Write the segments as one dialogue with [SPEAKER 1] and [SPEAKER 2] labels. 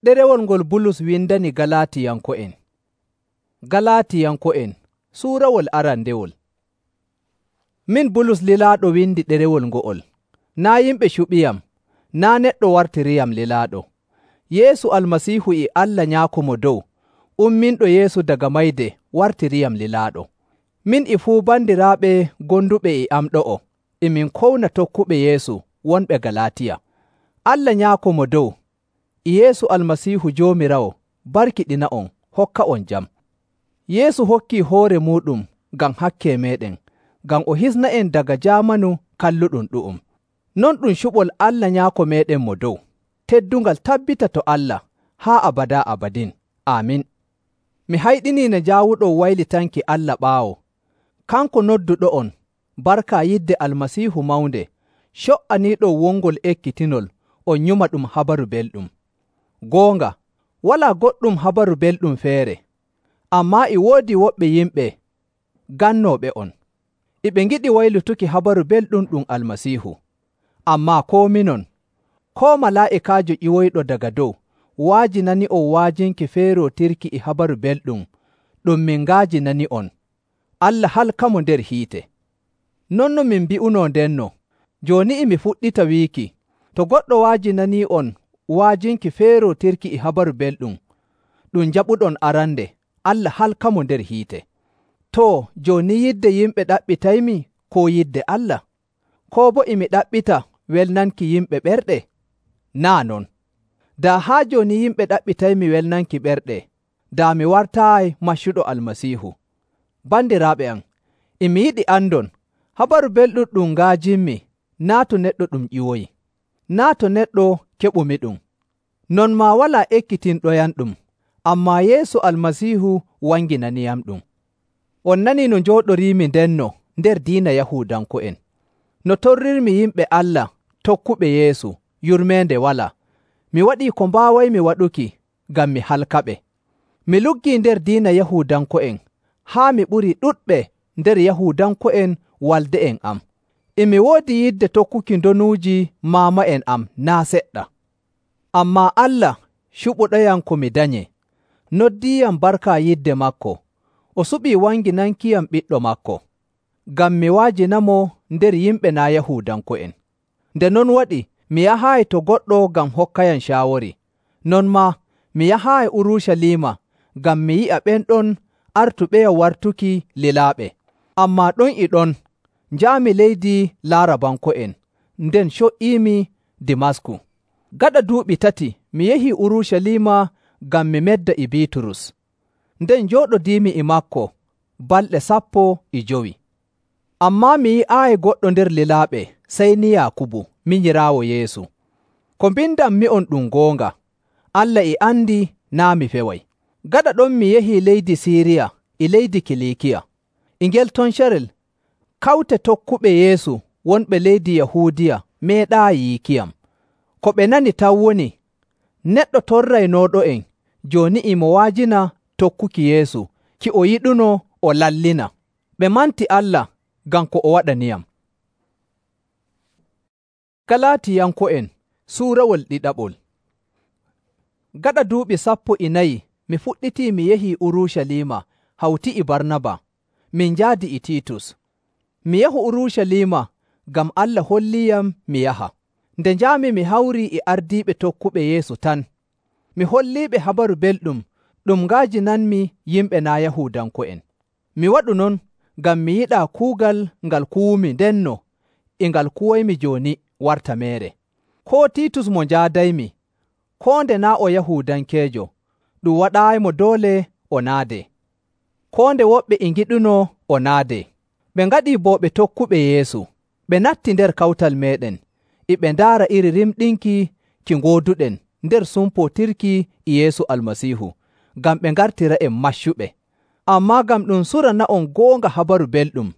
[SPEAKER 1] Ɗerewol ngol Bulus windani Galaatiyanko'en. Galaatiyanko'en suurawol arandewol. Min Bulus lilaaɗo windi ɗerewol ngo'ol. Naa' yimɓe cuɓiyam, naa' neɗɗo wartiriyam lilaaɗo. Yeesu Almasiihu e Allah Nyaako Mo Dow, umminɗo Yeesu daga mayde wartiriyam lilaaɗo. Min e fuu bandiraaɓe gonduɓe e am ɗo'o, e min kowna tokkuɓe Yeesu wonɓe Galaatiya. Allah Nyaako Mo Dow, e Yeesu Almasiihu Joomiraawo barkiɗina'on hokka'on jam. Yeesu hokkii hoore muuɗum ngam hakke meeɗen, ngam o hisna'en daga jaamanu kalluɗum ɗu'um. Non ɗum cuɓol Allah Nyaako meeɗen mo dow. Teddungal tabbita to Allah haa abadaa abadin. Aamin. Mi hayɗinii ne njaawuɗon waylitanki Allah ɓaawo. Kanko nodduɗo'on barka yidde Almasiihu mawnde, co''aniiɗon wongol ekkitinol on nyuma ɗum habaru belɗum. Goonga, walaa goɗɗum habaru belɗum feere, ammaa e woodi woɓɓe yimɓe gannooɓe'on. E ɓe ngiɗi waylutuki habaru belɗum ɗum Almasiihu. Ammaa koo minon, koo malaa'ikaajo ƴiwoyɗo daga dow, wa'ajinani'on wa'ajinki feerootirki e habaru belɗum ɗum min nga'ajinani'on. Allah halkamo nder hiite. Non no min mbi'unoo ndenno, jooni e mi fuɗɗita wiiki, to goɗɗo wa'ajinanii'on wa'ajinki feerootirki e habaru belɗum ɗum njaɓuɗon arande, Allah halkamo nder hiite. Too, jooni yidde yimɓe ɗaɓɓitaymi koo yidde Allah? Koo boo e mi ɗaɓɓita welnanki yimɓe ɓerɗe? Naa' non. Daa haa jooni yimɓe ɗaɓɓitaymi welnanki ɓerɗe, daa mi wartaayi maccuɗo Almasiihu. Bandiraaɓe am, e mi yiɗi andon, habaru belɗum ɗum nga'ajinmi naa' to neɗɗo ɗum ƴiwoyi, naa' to neɗɗo keɓumi ɗum. Non maa walaa ekkitinɗoyamɗum, ammaa Yeesu Almasiihu wanginaniyamɗum. On nanii no njooɗoriimi ndenno nder diina Yahuudanko'en. No torrirmi yimɓe Allah tokkuɓe Yeesu yurmeende walaa. Mi waɗii ko mbaawaymi waɗuki ngam mi halkaɓe. Mi luggii nder diina Yahuudanko'en haa mi ɓurii ɗuɗɓe nder Yahuudanko'en walde'en am. E mi woodi yidde tokkuki ndonuuji maama'en am naa' seɗɗa. Ammaa Allah cuɓuɗoyam ko mi danyee, noddiiyam barka yidde maako, o suɓii wanginankiyam ɓiɗɗo maako, ngam mi wa'ajinamo nder yimɓe naa' Yahuudanko'en. Nde non waɗi mi yahaayi to goɗɗo ngam hokkayam caawori, non maa mi yahaayi Urucaliima ngam mi yi'a ɓen ɗon artuɓeyam wartuki lilaaɓe. Ammaa ɗon e ɗon njaami leydi Laarabanko'en, nden co''iimi Dimasku. Gaɗa duuɓi 3 mi yahii Urucaliima ngam mi medda e Biiturus, nden njooɗodiimi e maako balɗe 15. Ammaa mi yi'aayi goɗɗo nder lilaaɓe sey ni Yaakubu, minyiraawo Yeesu. Ko mbindammi'on ɗum goonga, Allah e andi naa' mi feway. Gaɗa ɗon mi yahii leydi Siiriya e leydi Kiliikiya. E ngel ton carel, kawte tokkuɓe Yeesu wonɓe leydi Yahuudiya meeɗaayi yiikiyam. Ko ɓe nani taw woni, neɗɗo torraynooɗo'en jooni e mo wa'ajina tokkuki Yeesu ki o yiɗuno o lallina. Ɓe manti Allah ngam ko o waɗaniyam. Galaatiyanko'en suurawol ɗiɗaɓol. Gaɗa duuɓi 14 mi fuɗɗitii mi yahii Urucaliima hawti e Barnaba, min njaadi e Tiitus. Mi yahu Urucaliima ngam Allah holliiyam mi yaha. Nde njaami mi hawrii e ardiiɓe tokkuɓe Yeesu tan. Mi holliiɓe habaru belɗum ɗum nga'ajinanmi yimɓe naa' Yahuudanko'en. Mi waɗu non ngam mi yiɗaa kuugal ngal kuwumi ndenno e ngal kuwoymi jooni warta meere. Koo Tiitus mo njaadaymi, koo nde naa' o Yahuudankeejo, ɗum waɗaayimo doole o naadee. Koo nde woɓɓe e ngiɗunoo o naadee. Ɓe ngaɗii bo ɓe tokkuɓe Yeesu, ɓe natti nder kawtal meeɗen, e ɓe ndaara iri rimɗinki ki ngooduɗen nder sumpootirki e Yeesu Almasiihu, ngam ɓe ngartira'en maccuɓe. Ammaa ngam ɗum surana'on goonga habaru belɗum,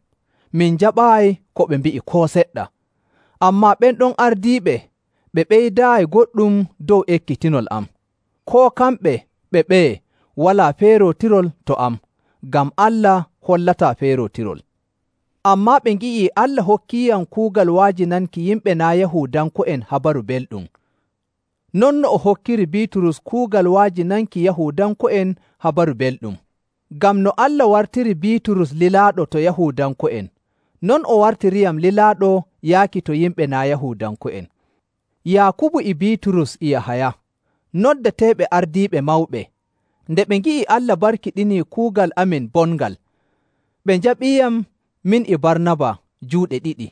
[SPEAKER 1] min njaɓaayi ko ɓe mbi'i koo seɗɗa. Ammaa ɓen ɗon ardiiɓe ɓe ɓeydaayi goɗɗum dow ekkitinol am. Koo kamɓe ɓe ɓeye walaa feerootirol to am, ngam Allah hollataa feerootirol. Ammaa ɓe ngi'ii Allah hokkiiyam kuugal wa'ajinanki yimɓe naa' Yahuudanko'en habaru belɗum. Non no o hokkiri Biiturus kuugal wa'ajinanki Yahuudanko'en Habaru Belɗum. Ngam no Allah wartiri Biiturus lilaaɗo to Yahuudanko'en, non o wartiriyam lilaaɗo yaaki to yimɓe naa' Yahuudanko'en. Yaakubu e Biiturus e Yahaya, noddeteeɓe ardiiɓe mawɓe, nde ɓe ngi'i Allah barkiɗinii kuugal amin bongal, ɓe njaɓiiyam min e Barnaba juuɗe ɗiɗi.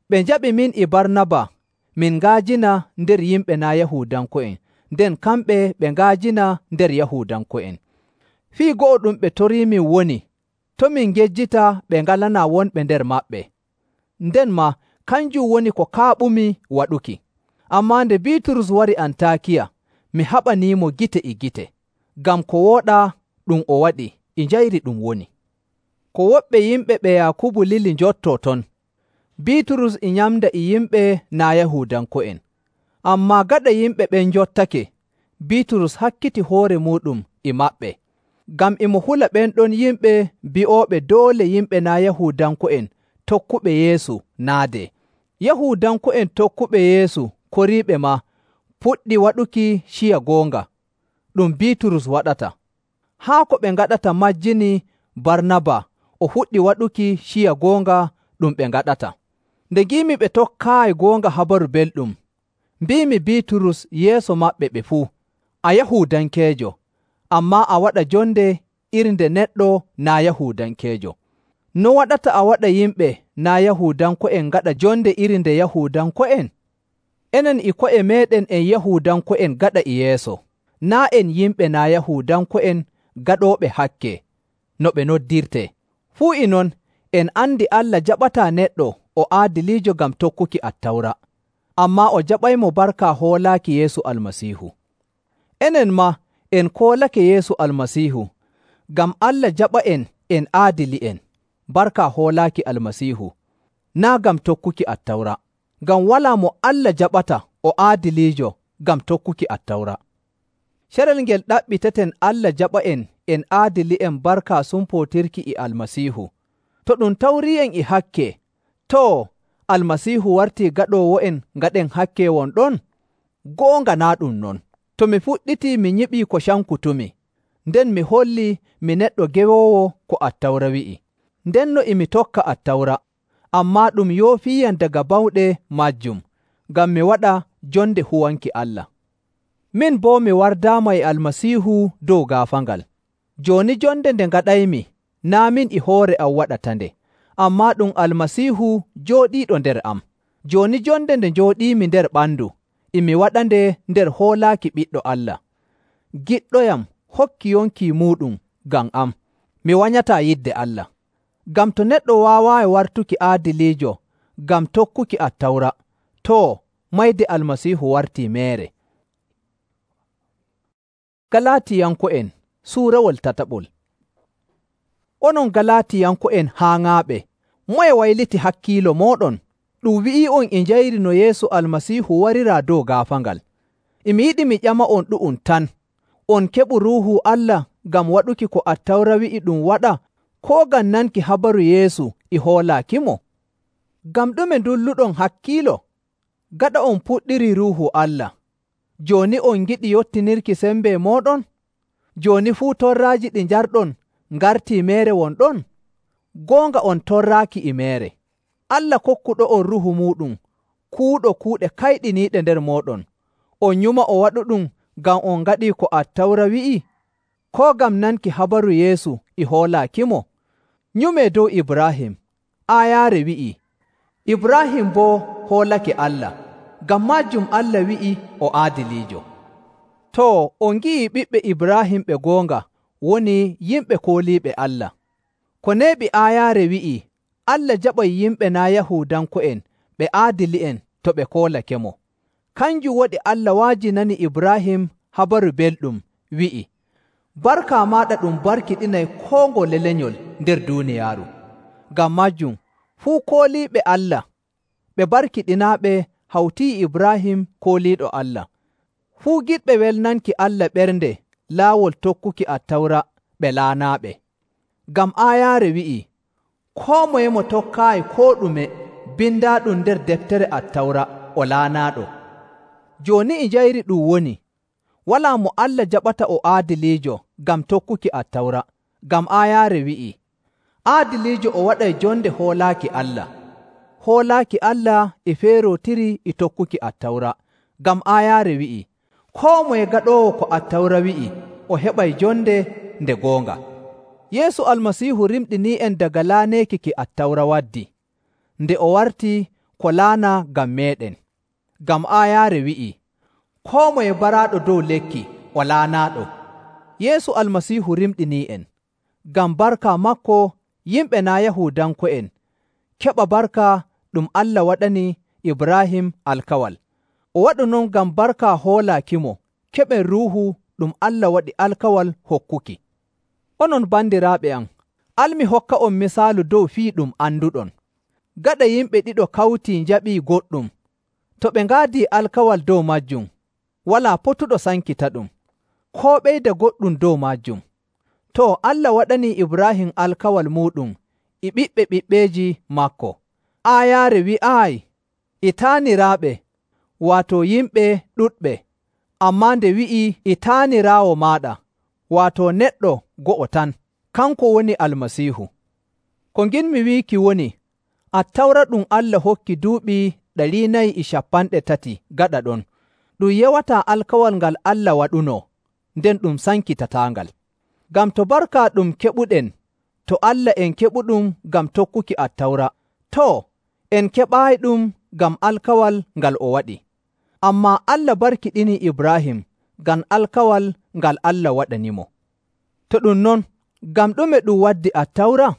[SPEAKER 1] Ɓe njaɓi min e Barnaba min nga'ajina nder yimɓe naa' Yahuudanko'en, nden kamɓe ɓe nga'ajina nder Yahuudanko'en. Fii go'o ɗum ɓe toriimin woni, to min ngejjita ɓe ngalanaa wonɓe nder maɓɓe. Nden maa kanjum woni ko kaaɓumi waɗuki. Ammaa nde Biiturus wari Antaakiya, mi haɓaniimo gite e gite, ngam ko wooɗaa ɗum o waɗi e njayri ɗum woni. Ko woɓɓe yimɓe ɓe Yaakubu lili njottoo ton, Biiturus e nyamda e yimɓe naa' Yahuudanko'en. Ammaa gaɗa yimɓe ɓen njottake, Biiturus hakkiti hoore muuɗum e maɓɓe, ngam e mo hula ɓen ɗon yimɓe bi'ooɓe doole yimɓe naa' Yahuudanko'en tokkuɓe Yeesu naadee. Yahuudanko'en tokkuɓe Yeesu koriiɓe maa puɗɗi waɗuki ciya goonga, ɗum Biiturus waɗata. Haa ko ɓe ngaɗata majjini Barnaba o fuɗɗi waɗuki ciya goonga ɗum ɓe ngaɗata. Nde ngiimi ɓe tokkaayi goonga Habaru Belɗum, mbiimi Biiturus yeeso maɓɓe ɓe fuu, “A Yahuudankeejo, ammaa a waɗa jonde iri nde neɗɗo naa' Yahuudankeejo. No waɗata a waɗa yimɓe naa' Yahuudanko'en ngaɗa jonde iri nde Yahuudanko'en? Enen e ko'e meeɗen en Yahuudanko'en gaɗa e yeeso, naa' en yimɓe naa' Yahuudanko'en gaɗooɓe hakke, no ɓe noddirtee. Fuu e non, en andi Allah jaɓataa neɗɗo o aadiliijo ngam tokkuki Attawra, ammaa o jaɓaymo barka hoolaaki Yeesu Almasiihu. Enen maa en koolake Yeesu Almasiihu, ngam Allah jaɓa'en en aadili'en barka hoolaaki Almasiihu, naa' ngam tokkuki Attawra, ngam walaa mo Allah jaɓata o aadiliijo ngam tokkuki Attawra. Carel ngel ɗaɓɓiteten Allah jaɓa'en en aadili'en barka sumpootirki e Almasiihu. To ɗum tawrii'en e hakke, too, Almasiihu wartii gaɗoowo'en ngaɗen hakke won ɗon? Goonga naa' ɗum non. To mi fuɗɗitii mi nyiɓii ko cankutumi, nden mi hollii mi neɗɗo gewoowo ko Attawra wi'i. Ndenno e mi tokka Attawra, ammaa ɗum yoofiiyam daga bawɗe majjum, ngam mi waɗa jonde huwanki Allah. Min boo mi wardaama e Almasiihu dow gaafaangal. Jooni jonde nde ngaɗaymi, naa' min e hoore am waɗatande, ammaa ɗum Almasiihu jooɗiiɗo nder am. Jooni jonde nde njooɗiimi nder ɓandu, e mi waɗande nder hoolaaki Ɓiɗɗo Allah. Giɗɗoyam hokki yonki muuɗum ngam am, mi wanyataa yidde Allah. Ngam to neɗɗo waawaayi wartuki aadiliijo ngam tokkuki Attawra, too, mayde Almasiihu wartii meere. Galaatiyanko'en suurawol tataɓol. Onon Galaatiyanko'en haaŋaaɓe, moye wayliti hakkiilo mooɗon? Ɗum wi'ii'on e njayri no Yeesu Almasiihu wariraa dow gaafaangal. E mi yiɗi mi ƴama'on ɗu'um tan, on keɓu Ruuhu Allah ngam waɗuki ko Attawra wi'i ɗum waɗa, koo ngam nanki habaru Yeesu e hoolaakimo? Ngam ɗume ndulluɗon hakkiilo? Gaɗa on puɗɗirii Ruuhu Allah, jooni on ngiɗi yottinirki sembe mooɗon? Jooni fuu torraaji ɗi njarɗon ngartii meere won ɗon? Goonga on torraaki e meere. Allah kokkuɗo'on Ruuhu muuɗum kuuɗo kuuɗe kayɗiniiɗe nder mooɗon, on nyuma o waɗuɗum ngam on ngaɗii ko Attawra wi'i, koo ngam nanki habaru Yeesu e hoolaakimo? Nyumee dow Ibraahim, aayaare wi'ii, Ibraahim boo hoolake Allah, ngam maajum Allah wi'i o aadiliijo. Too, on ngi'ii ɓiɓɓe Ibraahim ɓe goonga woni yimɓe kooliiɓe Allah. Ko neeɓi aayaare wi'ii, Allah jaɓay yimɓe naa' Yahuudanko'en ɓe aadili'en to ɓe koolakemo. Kanjum waɗi Allah wa'ajinani Ibraahim habaru belɗum wi'i, barka maaɗa ɗum barkiɗinay koo ngole lenyol nder duuniyaaru. Ngam majum fuu kooliiɓe Allah ɓe barkiɗinaaɓe hawtii Ibraahim kooliiɗo Allah. Fuu giɗɓe welnanki Allah ɓernde laawol tokkuki Attawra ɓe laanaaɓe. Ngam aayaare wi'ii, koo moye mo tokkaayi koo ɗume bindaaɗum nder deftere Attawra o laanaaɗo. Jooni e njayri ɗum woni, walaa mo Allah jaɓata o aadiliijo ngam tokkuki Attawra, ngam aayaare wi'ii, aadiliijo o waɗay jonde hoolaaki Allah. Hoolaaki Allah e feerootiri e tokkuki Attawra, ngam aayaare wi'ii, koo moye gaɗoowo ko Attawra wi'i o heɓay jonde nde goonga. Yeesu Almasiihu rimɗinii'en daga laaneeki ki Attawra waddi, nde o wartii ko laana ngam meeɗen. Ngam aayaare wi'ii, koo moye baraaɗo dow lekki o laanaaɗo. Yeesu Almasiihu rimɗinii'en, ngam barka maako yimɓe naa' Yahuudanko'en keɓa barka ɗum Allah waɗani Ibraahim alkawal. O waɗu non ngam barka hoolaakimo keɓen Ruuhu ɗum Allah waɗi alkawal hokkuki. Onon bandiraaɓe am, al mi hokka on misaalu dow fii ɗum anduɗon. Gaɗa yimɓe ɗiɗo kawtii njaɓii goɗɗum, to ɓe ngaadii alkawal dow maajum, walaa potuɗo sankitaɗum, koo ɓeyda goɗɗum dow maajum. To, Allah waɗanii Ibraahim alkawal muuɗum e ɓiɓɓe ɓiɓɓeeji maako. Aayaare wi'aayi, e taaniraaɓe, waato yimɓe ɗuɗɓe, ammaa nde wi'ii e taaniraawo maaɗa, waato neɗɗo go'o tan, kanko woni Almasiihu. Ko nginmi wiiki woni, Attawra ɗum Allah hokki duuɓi 430 gaɗa ɗon, ɗum yewataa alkawal ngal Allah waɗunoo, nden ɗum sankitataangal. Ngam to barka ɗum keɓuɗen to Allah en keɓuɗum ngam tokkuki Attawra, too, en keɓaayiɗum ngam alkawal ngal o waɗi. Ammaa Allah barkiɗinii Ibraahim ngam alkawal ngal Allah waɗanimo. To ɗum non, ngam ɗume ɗum waddi Attawra?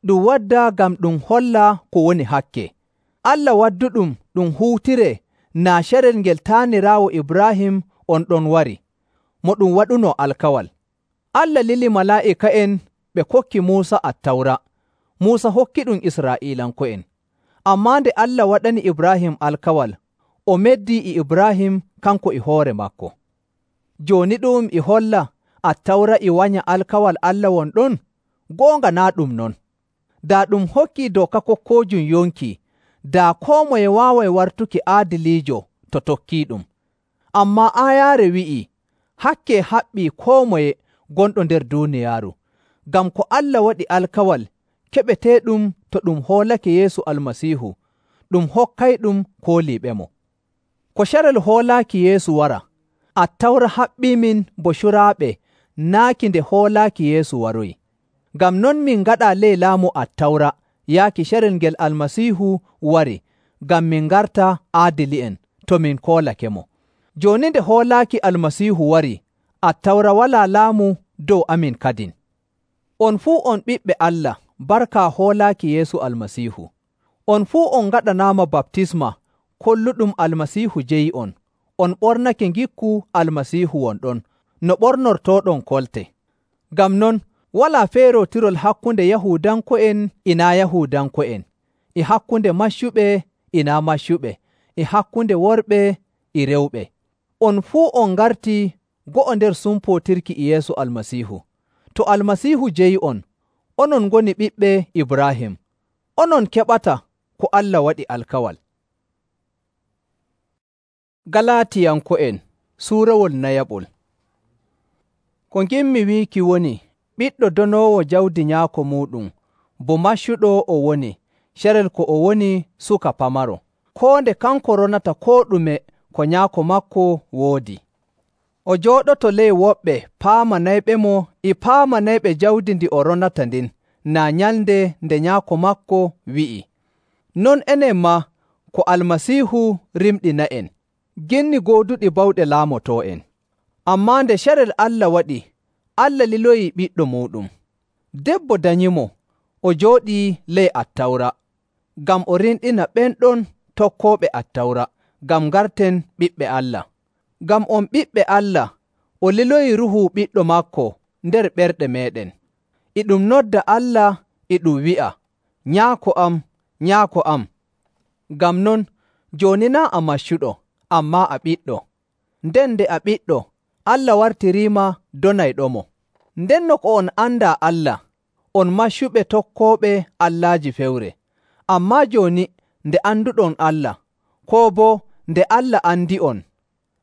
[SPEAKER 1] Ɗum waddaa ngam ɗum holla ko woni hakke. Allah wadduɗum ɗum huutiree naa carel ngel taaniraawo Ibraahim on ɗon wari, mo ɗum waɗunoo alkawal. Allah lili malaa'ika'en ɓe kokki Muusa Attawra. Muusa hokkiɗum Israa'iilanko'en. Ammaa nde Allah waɗani Ibraahim alkawal, o meddii e Ibraahim kanko e hoore maako. Jooni ɗum e holla Attawra e wanya alkawal Allah won ɗon? Goonga naa ɗum non. Daa ɗum hokkii dooka kokkoojum yonki, daa koo moye waaway wartuki aadiliijo to tokkiiɗum. Ammaa aayaare wi'ii, hakke haɓɓii koo moye gonɗo nder duuniyaaru, ngam ko Allah waɗi alkawal keɓeteeɗum to ɗum hoolake Yeesu Almasiihu, ɗum hokkayɗum kooliiɓemo. Ko carel hoolaaki Yeesu wara, Attawra haɓɓiimin bo curaaɓe naaki nde hoolaaki Yeesu waroyi. Ngam non min ngaɗaa ley laamu Attawra yaaki carel ngel Almasiihu wari, ngam min ngarta aadili'en to min koolakemo. Jooni nde hoolaaki Almasiihu wari, Attawra walaa laamu dow amin kadin. On fuu on ɓiɓɓe Allah barka hoolaaki Yeesu Almasiihu. On fuu on ngaɗanaama baptisma kolluɗum Almasiihu jeyi on ɓornake ngikku Almasiihu wonɗon, no ɓornortooɗon kolte. Ngam non, walaa feerootirol hakkunde Yahuudanko'en e naa Yahuudanko'en, e hakkunde maccuɓe e naa maccuɓe, e hakkunde worɓe e rewɓe. On fuu on ngartii go'o nder sumpootirki e Yeesu Almasiihu. To Almasiihu jeyi on, onon ngoni ɓiɓɓe Ibraahim, onon keɓata ko Allah waɗi alkawal. Galaatiyanko'en suurawol nayaɓol. Ko ngimmi wiiki woni, ɓiɗɗo donoowo jawdi nyaako muuɗum, bo maccuɗo o woni, carel ko o woni suka pamaro, koo nde kanko ronata koo ɗume ko nyaako maako woodi. O jooɗoto ley woɓɓe paamanayɓemo e paamanayɓe jawdi ndi o ronata ndin, naa nyalnde nde nyaako maako wi'i. Non enen maa ko Almasiihu rimɗina'en, ginni gooduɗi bawɗe laamotoo'en. Ammaa nde carel Allah waɗi, Allah liloyii ɓiɗɗo muuɗum. Debbo danyimo, o jooɗii ley Attawra, ngam o rinɗina ɓen ɗon tokkooɓe Attawra, ngam ngarten ɓiɓɓe Allah. Ngam on ɓiɓɓe Allah, o liloyii Ruuhu ɓiɗɗo maako nder ɓerɗe meeɗen. E ɗum nodda Allah e ɗum wi'a, Nyaako am, Nyaako am. Ngam non, jooni naa a maccuɗo, ammaa a ɓiɗɗo. Nden nde a ɓiɗɗo, Allah wartiriima donayɗomo. Ndenno ko on andaa Allah, on maccuɓe tokkooɓe allaaji fewre. Ammaa jooni nde anduɗon Allah, koo boo nde Allah andi'on,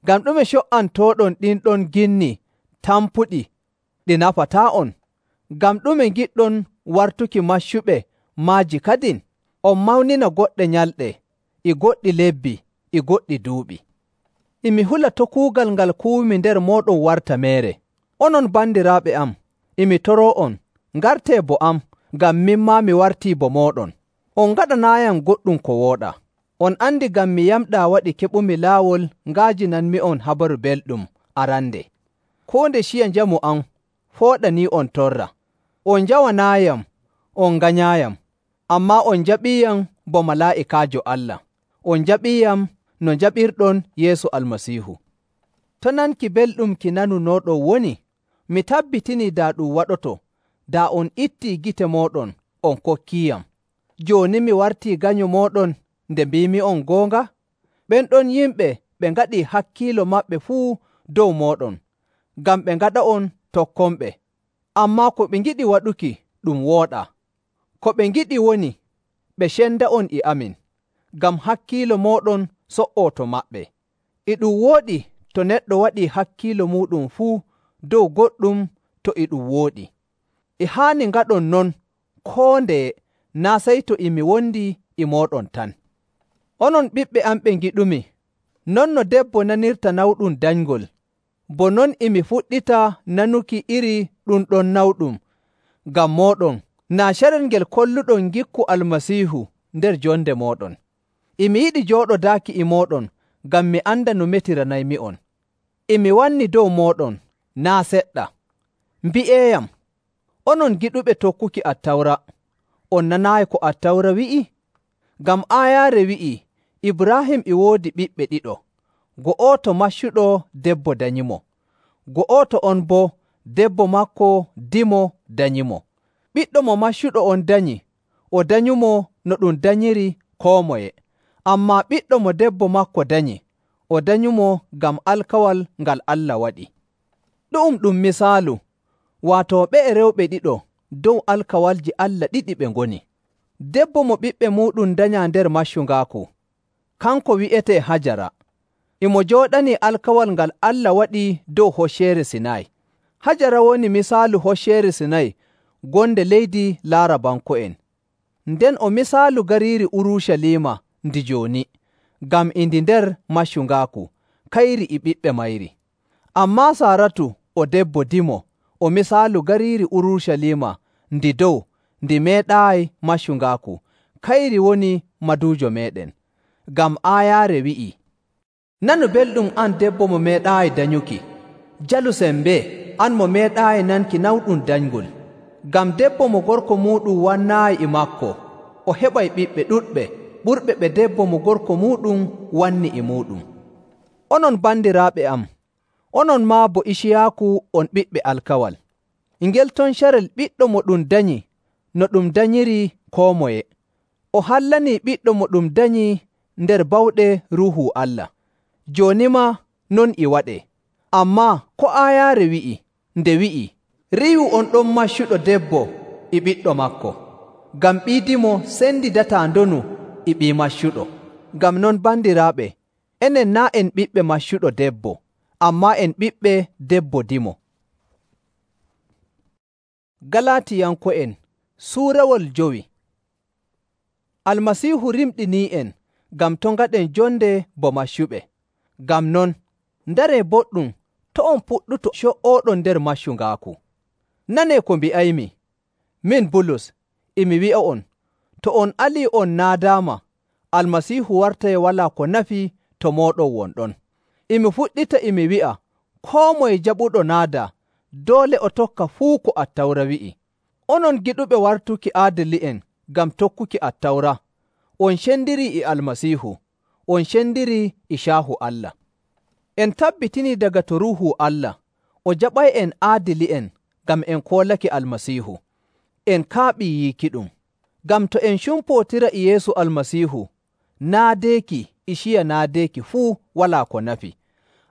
[SPEAKER 1] Ngam ɗume co''antooɗon ɗinɗon ginni tampuɗi ɗi nafataa'on? Ngam ɗume ngiɗɗon wartuki maccuɓe maaji kadin? On mawnina goɗɗe nyalɗe, e goɗɗi lebbi, e goɗɗi duuɓi. E mi hula to' kuugal ngal kuwimi nder mooɗon warta meere. Onon bandiraaɓe am, e mi toroo'on, ngartee bo am, ngam min maa mi wartii bo mooɗon. On ngaɗanaayam goɗɗum ko wooɗaa. On andi ngam mi yamɗaa waɗi keɓumi laawol nga'ajinanmi'on habaru belɗum arande. Koo nde ciya njamu am fooɗanii'on torra. On njawanaayam, on nganyaayam, ammaa on njaɓiiyam bo malaa'ikaajo Allah. On njaɓiiyam no njaɓirɗon Yeesu Almasiihu. To nanki belɗum ki nanunooɗon woni, mi tabbitinii daa ɗum waɗoto, daa on ittii gite mooɗon on kokkiiyam. Jooni mi wartii ganyo mooɗon nde mbiimi'on goonga? Ɓen ɗon yimɓe ɓe ngaɗii hakkiilo maɓɓe fuu dow mooɗon, ngam ɓe ngaɗa'on tokkonɓe. Ammaa ko ɓe ngiɗi waɗuki ɗum wooɗaa. Ko ɓe ngiɗi woni ɓe cenda'on e amin, ngam hakkiilo mooɗon so''oo to maɓɓe. E ɗum wooɗi to neɗɗo waɗii hakkiilo muuɗum fuu dow goɗɗum to e ɗum wooɗi. E haani ngaɗon non koo ndeye, naa' sey to e mi wondi e mooɗon tan. Onon ɓiɓɓe am ɓe ngiɗumi, non no debbo nanirta nawɗum danyngol, bo non e mi fuɗɗita nanuki iri ɗum ɗon nawɗum ngam mooɗon, naa carel ngel kolluɗon ngikku Almasiihu nder jonde mooɗon. E mi yiɗi jooɗodaaki e mooɗon ngam mi anda no metiranaymi'on. E mi wanni dow mooɗon naa' seɗɗa. Mbi'eeyam, onon giɗuɓe tokkuki Attawra, on nanaayi ko Attawra wi'i? Ngam aayaare wi'ii, Ibraahim e woodi ɓiɓɓe ɗiɗo, go'oto maccuɗo debbo danyimo, go'oto on boo debbo maako dimo danyimo. Ɓiɗɗo mo maccuɗo on danyi, o danyumo no ɗum danyiri koo moye, ammaa ɓiɗɗo mo debbo maako danyi, o danyumo ngam alkawal ngal Allah waɗi. Ɗu'um ɗum misaalu, waato ɓe'e rewɓe ɗiɗo dow alkawalji Allah ɗiɗi ɓe ngoni. Debbo mo ɓiɓɓe muuɗum danyaa nder maccungaaku, kanko wi'etee Hajara, e mo jooɗanii alkawal ngal Allah waɗi dow Hocceere Sinay. Hajara woni misaalu Hocceere Sinay gonde leydi Laarabanko'en. Nden o misaalu gariiri Urucaliima ndi jooni, ngam e ndi nder maccungaaku, kayri e ɓiɓɓe mayri. Ammaa Saaratu o debbo dimo, o misaalu gariiri Urucaliima ndi dow ndi meeɗaayi maccungaaku, kayri woni maduujo meeɗen. Ngam aayaare wi'ii, nanu belɗum an debbo mo meeɗaayi danyuki, jalu sembee an mo meeɗaayi nanki nawɗum danyngol. Ngam debbo mo gorko muuɗum wannaayi e maako, o heɓay ɓiɓɓe ɗuɗɓe ɓurɓe ɓe debbo mo gorko muuɗum wanni e muuɗum. Onon bandiraaɓe am, onon maa bo Iciyaaku on ɓiɓɓe alkawal. Ngel ton carel ɓiɗɗo mo ɗum danyi no ɗum danyiri koo moye. O hallanii ɓiɗɗo mo ɗum danyi nder bawɗe Ruuhu Allah. Jooni maa non e waɗee. Ammaa ko aayaare wi'i, nde wi'i, riiwu on ɗon maccuɗo debbo e ɓiɗɗo maako, ngam ɓiidimo sendidataa ndonu e ɓii maccuɗo. Ngam non bandiraaɓe, enen naa' en ɓiɓɓe maccuɗo debbo, ammaa en ɓiɓɓe debbo dimo. Galatiyanko'en suurawol 5. Almasiihu rimɗinii'en ngam to' ngaɗen jonde bo maccuɓe. Ngam non, ndaree boɗɗum to' on puɗɗuto co''ooɗon nder maccungaaku. Nanee ko mbi'aymi, min Bulus, e mi wi'a'on, to on alii on naadaama, Almasiihu wartay walaa ko nafi to mooɗon wonɗon. E mi fuɗɗita e mi wi'a, koo moye jaɓuɗo naada, doole o tokka fuu ko Attawra wi'i. Onon giɗuɓe wartuki aadili'en ngam tokkuki Attawra, on cendirii e Almasiihu, on cendirii e caahu Allah. En tabbitinii daga to Ruuhu Allah, o jaɓay'en aadili'en ngam en koolake Almasiihu. En kaaɓii yiikiɗum. Ngam to en cumpootira e Yeesu Almasiihu, naadeeki e ciya naadeeki fuu walaa ko nafi.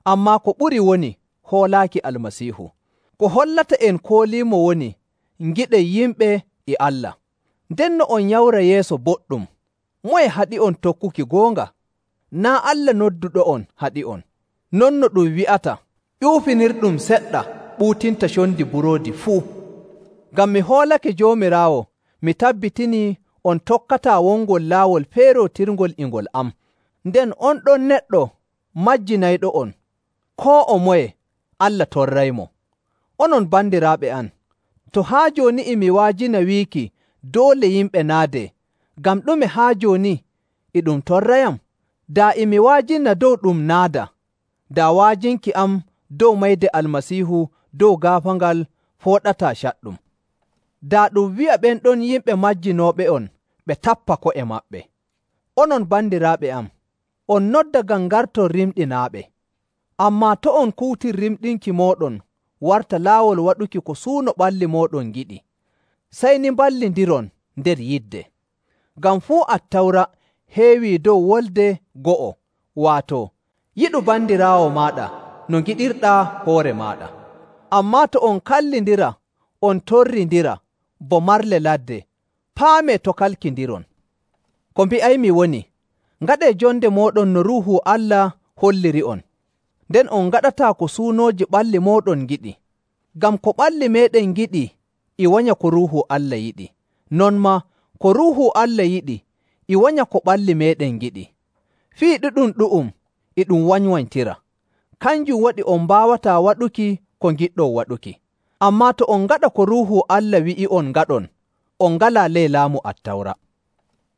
[SPEAKER 1] Ammaa ko ɓuri woni hoolaaki Almasiihu. Ko hollata en kooliimo woni ngiɗen yimɓe e Allah. Nden no on nyawra yeeso boɗɗum, moye haɗi'on tokkuki goonga? Naa' Allah nodduɗo'on haɗi'on. non no ɗum wi'ata, ƴuufinirɗum seɗɗa ɓuutinta condi buroodi fuu. Ngam mi hoolake Joomiraawo, mi tabbitinii on tokkataa wongol laawol feerootirngol e ngol am. Nden on ɗon neɗɗo majjinayɗo'on, koo o moye Allah torraymo. Onon bandiraaɓe am, to haa jooni e mi wa'ajina wiiki doole yimɓe naadee, ngam ɗume haa jooni e ɗum torrayam? Daa e mi wa'ajina dow ɗum naada, daa wa'ajinki am dow mayde Almasiihu dow gaafaangal fooɗataa caɗɗum. Daa ɗum wi'a ɓen ɗon yimɓe majjinooɓe'on ɓe tappa ko'e maɓɓe. Onon bandiraaɓe am, on nodda ngam ngarton rimɗinaaɓe. Ammaa to' on kuutir rimɗinki mooɗon warta laawol waɗuki ko suuno ɓalli mooɗon ngiɗi, sey ni mballindiron nder yidde. Ngam fuu Attawra heewii dow wolde go'o, waato, yiɗu bandiraawo maaɗa no ngiɗirɗaa hoore maaɗa. Ammaa to on kallindira, on torrindira bo marle ladde, paamee to kalkindiron. Ko mbi'aymi woni, ngaɗee jonde mooɗon no Ruuhu Allah holliri'on, nden on ngaɗataa ko suunooji ɓalli mooɗon ngiɗi. Ngam ko ɓalli meeɗen ngiɗi e wanya ko Ruuhu Allah yiɗi, non maa ko Ruuhu Allah yiɗi e wanya ko ɓalli meeɗen ngiɗi. Fii ɗu'um e ɗum wanywanytira. Kanjum waɗi on mbaawataa waɗuki ko ngiɗɗon waɗuki. Ammaa to on ngaɗa ko Ruuhu Allah wi'i'on ngaɗon, on ngalaa ley laamu Attawra.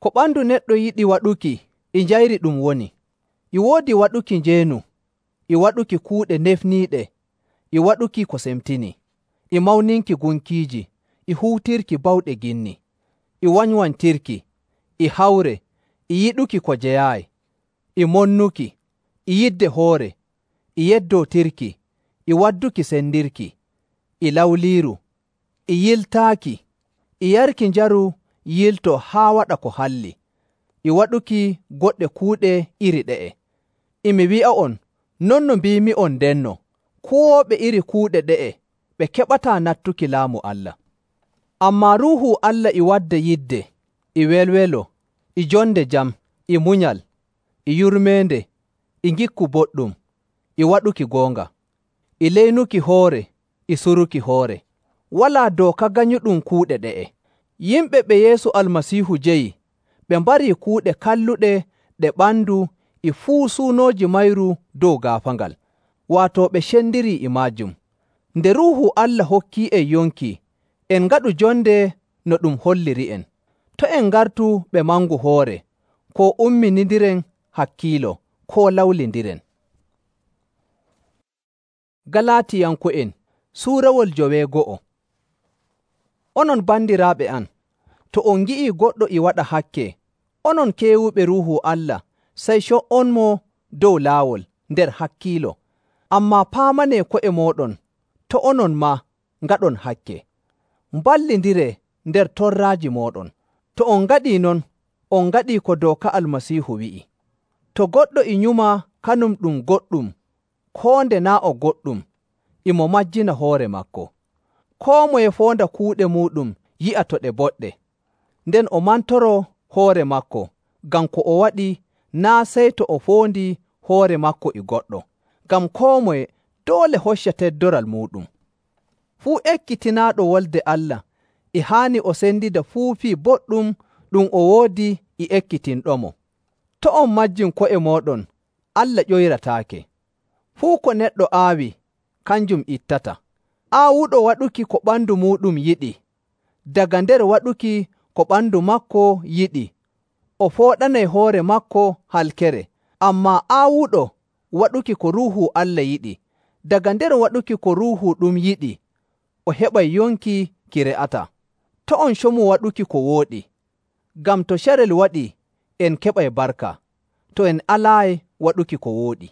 [SPEAKER 1] Ko ɓandu neɗɗo yiɗi waɗuki e njayri ɗum woni, e woodi waɗuki njeenu, e waɗuki kuuɗe nefniiɗe, e waɗuki ko semtini, e mawninki gunkiiji, e huutirki bawɗe ginni, e wanywantirki, e hawre, e yiɗuki ko jeyaayi, e monnuki, e yidde hoore, e yeddootirki, e wadduki sendirki, e lawliiru, e yiltaaki, e yarki njaru yiltoo haa waɗa ko halli, e waɗuki goɗɗe kuuɗe iri ɗe'e. E mi wi'a'on, non no mbiimi'on ndenno, kuwooɓe iri kuuɗe ɗe'e ɓe keɓataa nattuki laamu Allah. Ammaa Ruuhu Allah e wadda yidde, e welwelo, e jonde jam, e munyal, e yurmeende, e ngikku boɗɗum, e waɗuki goonga, e leynuki hoore, e suruki hoore. Walaa dooka ganyuɗum kuuɗe ɗe'e. Yimɓe ɓe Yeesu Almasiihu jeyi, ɓe mbarii kuuɗe kalluɗe ɗe ɓandu e fuu suunooji mayru dow gaafaangal, waato ɓe cendirii e maajum. Nde Ruuhu Allah hokkii'en yonki, en ngaɗu jonde no ɗum holliri'en. To' en ngartu ɓe mangu hoore, koo umminindiren hakkiilo, koo lawlindiren. Galaatiyanko'en suurawol 9. Onon bandiraaɓe am, to on ngi'ii goɗɗo e waɗa hakke, onon keewuɓe Ruuhu Allah, sey co''onmo dow laawol nder hakkiilo. Ammaa paamanee ko'e mooɗon, to onon maa ngaɗon hakke. Mballindiree nder torraaji mooɗon. To on ngaɗii non, on ngaɗii ko dooka Almasiihu wi'i. To goɗɗo e nyuma kanum ɗum goɗɗum, koo nde naa' o goɗɗum, e mo majjina hoore maako. Koo moye foonda kuuɗe muuɗum yi'a to ɗe boɗɗe, nden o mantoroo hoore maako, ngam ko o waɗi naa' sey to o foondi hoore maako e goɗɗo, ngam koo moye doole hocca teddoral muuɗum. Fuu ekkitinaaɗo wolde Allah e haani o sendida fuu fii boɗɗum ɗum o woodi e ekkitinɗomo. To on majjin ko'e mooɗon, Allah ƴoyrataake. Fuu ko neɗɗo aawi, kanjum ittata. Aawuɗo waɗuki ko ɓandu muuɗum yiɗi, daga nder waɗuki ko ɓandu maako yiɗi, o fooɗanay hoore maako halkere. Ammaa aawuɗo waɗuki ko Ruuhu Allah yiɗi, daga nder waɗuki ko Ruuhu ɗum yiɗi, o heɓay yonki ki re'ataa. To' on comu waɗuki ko wooɗi, ngam to carel waɗii, en keɓay barka, to en alaayi waɗuki ko wooɗi.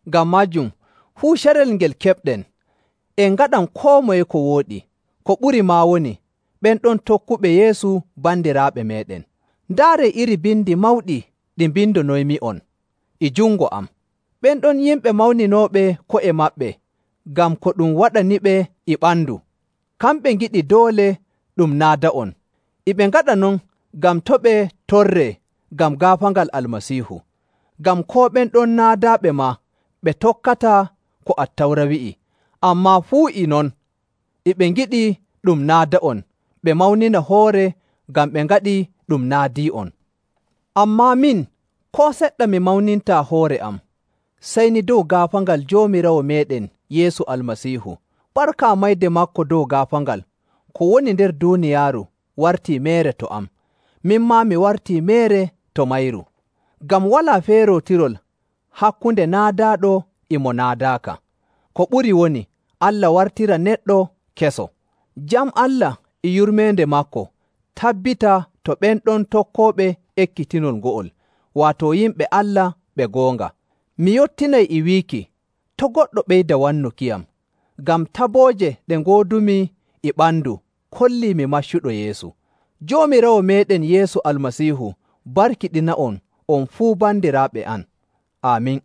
[SPEAKER 1] Ngam maajum, fuu carel ngel keɓɗen, en ngaɗan koo moye ko wooɗi, ko ɓuri maa woni, ɓen ɗon tokkuɓe Yeesu bandiraaɓe meeɗen. Ndaaree iri bindi mawɗi ɗi mbindonoymi'on e jungo am. Ɓen ɗon yimɓe mawninooɓe ko'e maɓɓe ngam ko ɗum waɗaniɓe e ɓandu. Kamɓe ngiɗi doole ɗum naada'on. E ɓe ngaɗa non ngam to' ɓe torree ngam gaafaangal Almasiihu. Ngam koo ɓen ɗon naadaaɓe maa ɓe tokkataa ko Attawra wi'i, ammaa fuu e non e ɓe ngiɗi ɗum naada'on ɓe mawnina hoore ngam ɓe ngaɗii ɗum naadii'on. Ammaa min, koo seɗɗa mi mawnintaa hoore am, sey ni dow gaafaangal Joomiraawo meeɗen Yeesu Almasiihu, barka mayde maako dow gaafaangal, ko woni nder duuniyaaru wartii meere to am, min maa mi wartii meere to mayru. Ngam walaa feerootirol hakkunde naadaaɗo e mo naadaaka. Ko ɓuri woni, Allah wartira neɗɗo keso. Jam Allah e yurmeende maako tabbita to ɓen ɗon tokkooɓe ekkitinol ngo'ol, waato yimɓe Allah ɓe goonga. Mi yottinay e wiiki, to' goɗɗo ɓeyda wannukiyam, ngam tabooje ɗe ngoodumi e ɓandu kollii mi maccuɗo Yeesu. Joomiraawo meeɗen Yeesu Almasiihu barkiɗina'on on fuu bandiraaɓe am. Aamin.